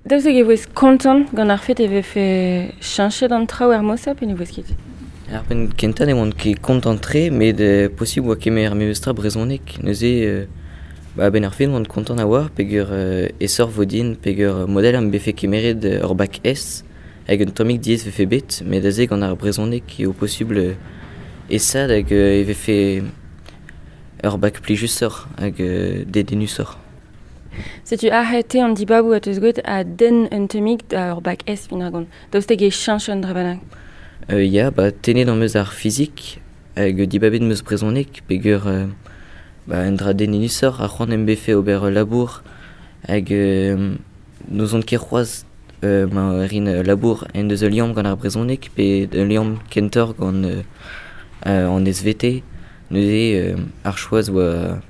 Daoust hag e voes kontant gant ar fet e vefe cheñchet an traoù er mod-se pe ne voes ket? Ar penn kentañ ne oan ket kontant-tre met posubl oa kemer memestra brezhoneg neuze ba a-benn ar fin oan kontant a-walc'h peogwir aesoc'h vo din peogwir mod-all am befe kemeret ur bak S hag un tammig diaes vefe bet met aze gant ar brezhoneg eo posubl aesaat hag e vefe ur bak plijusoc'h hag dedennusoc'h. Setu aze te an dibaboù a teus gwet a denn un tammig da ur bak S fin ar gont. Daoust hag e cheñch un dra bennak? Ya, ba tennet am eus ar fizik hag dibabet 'm eus brezhoneg peogwir ba un dra dedennusoc'h ha c'hoant em befe ober ul labour hag n'ouzon ket c'hoazh ma rin ul labour en deus ul liamm gant ar brezhoneg pe ul liamm kentoc'h gant an SVT. Neuze ar choaz oa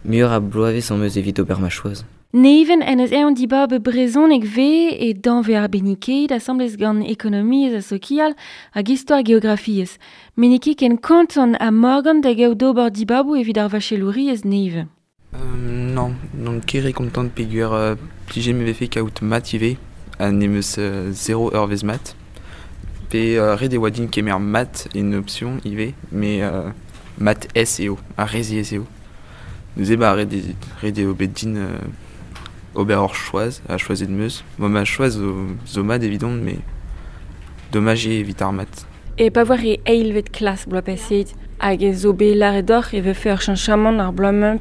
muioc'h a bloavezh am eus evit ober ma choaz. Neven en eus eñ dibab brezhoneg vez e danvez arbennikaet asambles gant ekonomiezh ha sokial hag istor geografiezh. Met n'eo ket ken kontant ha Morgan da gaout d'ober dibaboù evit ar vachelouriezh nevez. Nann, n'on ket re kontant peogwir plijet me vefe kaout mat ivez ha n'em eus zero eurvezh mat. Pe ret e oa din kemer mat en option ivez, met mat S eo, ha re ziaes eo. Neuze ba ret eo bet din ober ur choaz, ha choazet 'm eus. Bon ma choaz zo mat evidon, met domaj eo evit ar mat. E pa voar e eilvet klas bloaz paseet hag e zo bet lâret deoc'h e vefe ur cheñchamant ar bloaz-mañ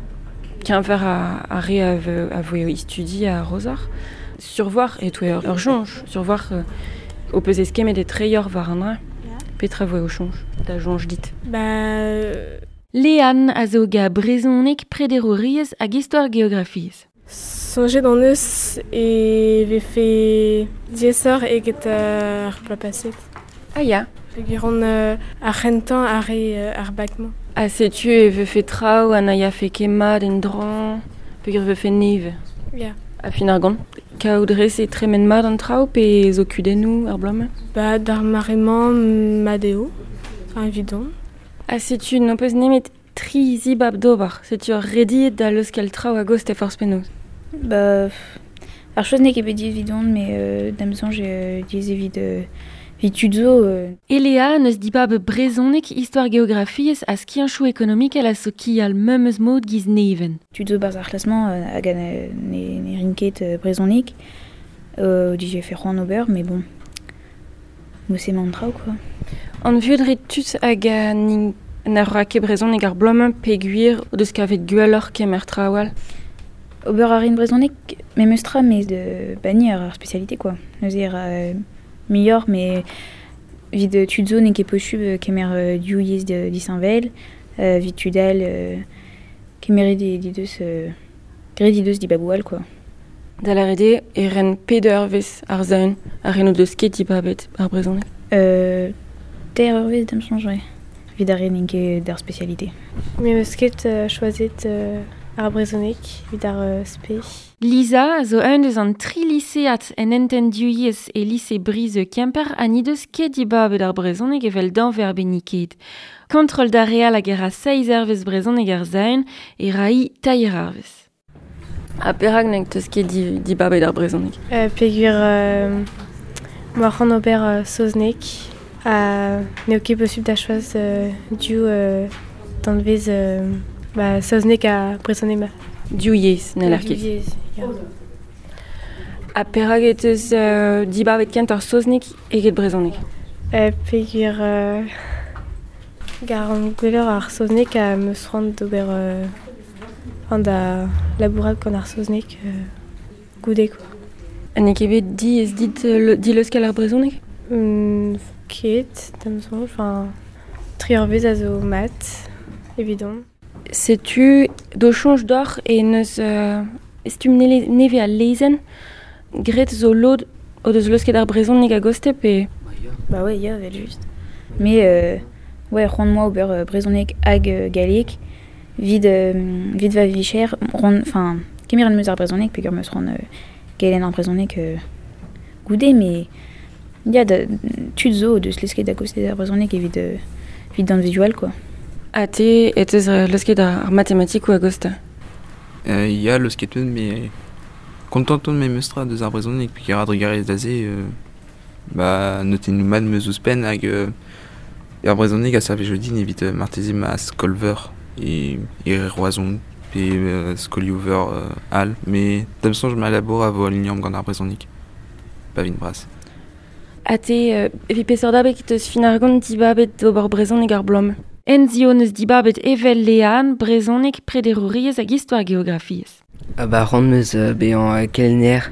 keñver ar re a voe o studi a-raozoc'h. Survoir e-touez ur soñj, survoir ho peus eskemmet etreoc'h war an dra. Petra voe ho soñj, da soñj dit? Ba Leanne a zo ga brezhoneg, prederouriezh hag istor geografiezh. Soñjet hon eus e vefe diaesoc'h eget ar bloaz paset. Ah ya. Peogwir on ar c'hentañ ar re ar bak-mañ. Ha setu e vefe traoù ha na yafe ket mat en-dro peogwir e vefe nevez. Ya. Ha fin ar gont, kaout rez e tremen mat an traoù pe zo kudennoù ar bloaz-mañ? Ba d'ar mare-mañ mat eo, enfin evidon. Ha setu n'ho peus nemet tri zibab d'ober. Setu ur rediet da leuskel traoù a-gostez forzh penaos. Ba ar choaz n'eo ket bet diaes evidon met da'm soñj eo diaes evit evit tud zo. Eléa n'eus dibab brezhoneg, istor geografiezh ha skianchoù ekonomikel ha sokial memes mod giz Neven. Tud zo barzh ar c'hlas-mañ hag ne rin ket brezhoneg o dije fait c'hoant ober, mais bon, mod-se emañ an traoù quoi. An vuhez tud hag na ra ket brezhoneg ar bloaz-mañ peogwir o deus kavet gwelloc'h kemer traoù all. Ober a rin brezhoneg memes tra met ba ni ar spécialité quoi. Neuze e ra muioc'h met evit tud zo n'eo ket posubl kemer div yezh disheñvel, evit tud all kemeret he deus graet he deus dibaboù all quoi. Da lâret eo e ren pet eurvezh ar zaun ar re n'o deus ket dibabet ar brezhoneg? Teir eurvezh da'm soñj ouais. Evit ar re n'int ket d'ar spécialité. Me 'm eus ket choazet ar brezhoneg evit ar spe. Lisa a zo un deus an tri lisead en hentenn div yezh e lise Brizeux Kemper ha n'he deus ket dibabet ar brezhoneg evel danvez arbenniket. Kontrol d'ar re all hag e ra seizh eurvezh brezhoneg ar zaun e ra-hi teir eurvezh. Ha perak n'en teus ket dibabet ar brezhoneg? Peogwir m'oa c'hoant ober saozneg ha n'eo ket posubl da choaz div danvez ba saozneg ha brezhoneg ma. Div yezh, n'heller ket. Div yezh, ya. Ha perak e teus dibabet kentoc'h saozneg eget brezhoneg? Peogwir garan gwelloc'h ar saozneg ha 'm eus c'hoant d'ober c'hoant da labourat gant ar saozneg goude quoi. Ha n'eo ket bet diaes dit dileuskel ar brezhoneg? Ket, da'm soñj, enfin tri eurvezh a zo mat evidon. Setu d'ho soñj deoc'h e n'eus stumm nevez al lezenn graet zo lod o deus leusket ar brezhoneg a-gostez pe... Bah ouais, ya, evel-just. Mais ouais, c'hoant 'moa ober brezhoneg hag galleg evit evit va vicher, enfin kemer 'm eus ar brezhoneg peogwir 'm eus c'hoant kelenn ar brezhoneg goude, met ya, da tud zo o deus leusket a-gostez ar brezhoneg evit evit danvezioù all quoi. Ha te e teus leusket ar matematikoù a-gostez? Ya, leusket 'm eus, met Kontant on memestra deus ar brezhoneg peogwir a-drugarez da se ba notennoù mat 'm eus ouzhpenn hag ar brezhoneg a servijo din evit marteze ma skol-veur e Roazhon pe skolioù-veur all met da'm soñj ma labour a vo al liamm gant ar brezhoneg pa vin bras. Ha te, evit peseurt abeg teus fin ar gont dibabet d'ober brezhoneg ar bloaz-mañ? Enzio neus dibabet evel Leanne brezhoneg prederouriezh hag istor geografiezh. Ba c'hoant 'm eus bezañ kelenner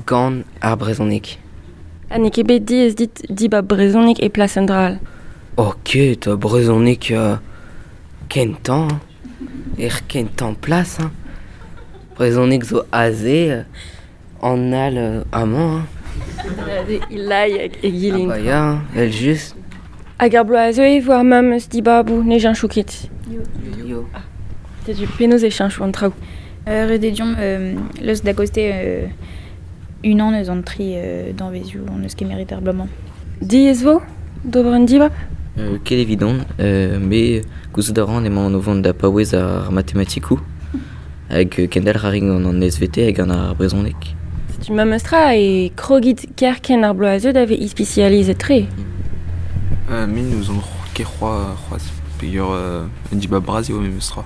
gant ar brezhoneg. Ha n'eo ket bet diaes dit dibab brezhoneg e plas un dra all? Oh ket, brezhoneg kentañ, er kentañ plas. Hein. Brezhoneg zo aze, an all amañ. Hein. Ilai hag egile. Ah bah ya, evel just. Hag ar bloaz a zeu e vo ar memes dibaboù, ne cheñcho ket. Yo. Ah. Setu penaos e cheñcho an traoù. Ret eo deomp leus da goste unan eus an tri danvezioù hon eus kemeret ar bloaz-mañ. Diaes vo d'ober un dibab? Ket evidon, me gouzout a ran emaon o vont da paouez ar matematikoù hag kendalc'h a rin gant an SVT hag gant ar brezhoneg. Setu memes tra e krogit kerkent ar bloaz a zeu da vezañ ispisializet-tre. Me n'ouzon ket c'hoazh peogwir un dibab bras eo memes tra.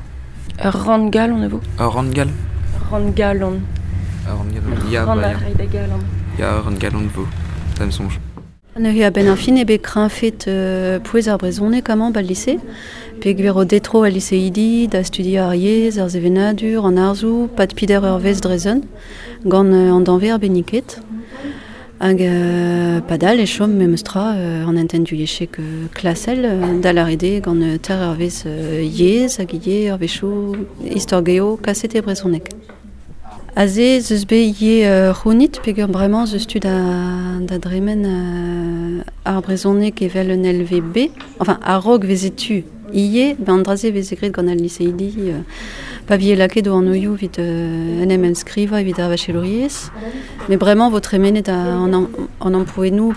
Ur rann-galon e vo? Ur rann-gal? Rann-galon. Ur rann-galon, ya, Rann bah, a ya. ray da galon. Ya, ur rann-galon vo, da'm soñj. Neuze a-benn ar fin eo bet kreñfet pouez ar brezhoneg amañ ba'l lise peogwir o detro al liseidi da studiañ ar yezh, ar sevenadur, an arzoù, pad peder eurvezh dre zun gant an danvez arbenniket. Hag padal e chom memes tra an hentenn divyezhek klasel da lâret eo gant teir eurvezh yezh hag ivez eurvezhioù istor-geo kaset e brezhoneg. Aze ez eus bet ivez c'hounit peogwir bremañ ez eus tu da dremen ar brezhoneg evel un LVB. Enfin, a-raok veze tu ivez, ben an dra-se veze graet gant al liseidi pa vije lakaet o anvioù evit en em enskrivañ evit ar vachelouriezh. Met bremañ vo tremenet an amprouennoù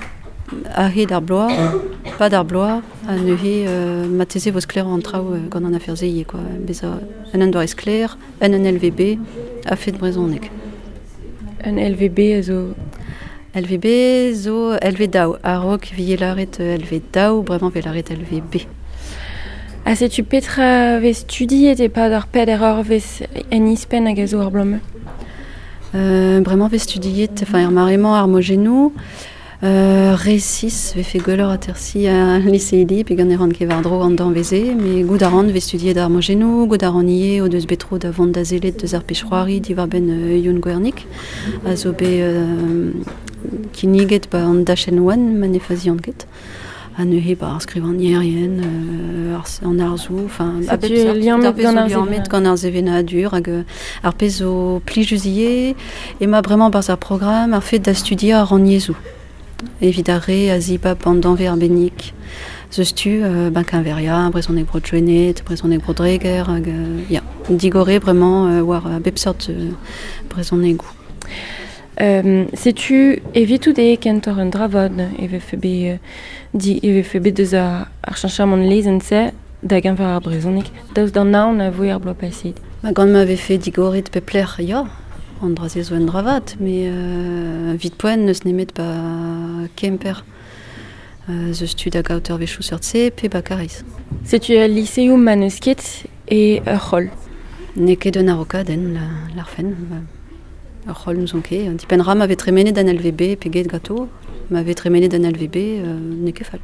a-hed ar bloaz, pad ar bloaz, ha neuze marteze vo sklaer an traoù gant an afer-se ivez quoi. Bezañ un doare sklaer, un LVB a-fet brezhoneg. Un LVB a zo... LVB zo LV daou. A-raok vije lâret LV daou, bremañ vez lâret LVB. Ha setu petra vez studiet e-pad ar peder eurvezh en ispenn hag a zo ar bloaz-mañ? Bremañ vez studiet, enfin er mare-mañ ar mojennoù, resis vefe gwelloc'h atersiñ al liseidi pe gant e ran ket war-dro an danvez-se, met goût a ran vez studiet ar mojennoù, goût a ran ivez o deus bet tro da vont da sellet deus ar pezh-c'hoari diwar-benn Youn Gwernig, a zo bet kinniget ba an dachenn oan ma ne fazian ket. Ha neuze ba ar skrivagnerien, an arzoù, enfin, a bep Setu seurt, liammet ar pezh gant zo ar liammet gant ar sevenadur hag ar pezh zo plijus ivez, emañ bremañ barzh ar programm ar fet da studiañ ar rannyezhoù. Evit ar re a zibab an danvez arbennik. Zeus tu ben keñveriañ, brezhoneg bro Gwened, brezhoneg bro Dreger hag ya, digorre bremañ war a bep seurt brezhonegoù. Setu evitout eo kentoc'h un dra vat e vefe bet di e vefe bet deus ar cheñchamant lezenn-se da geñver ar brezhoneg daoust d'an aon a voe ar bloaz paseet. Ma gant ma vefe digoret pep lec'h, ya, an dra-se zo un dra vat, met evit poent n'eus nemet ba Kemper. Zeus tu da gaout eurvezhioù seurt-se pe ba Kariz. Setu al liseoù ma n'eus ket e ur c'holl. N'eo ket un araokadenn, l'arfen. Ur c'holl n'ouzon ket. Dipenn ra ma vez tremenet an LVB pe get gato. Ma vez tremenet an LVB, n'eo ket fall.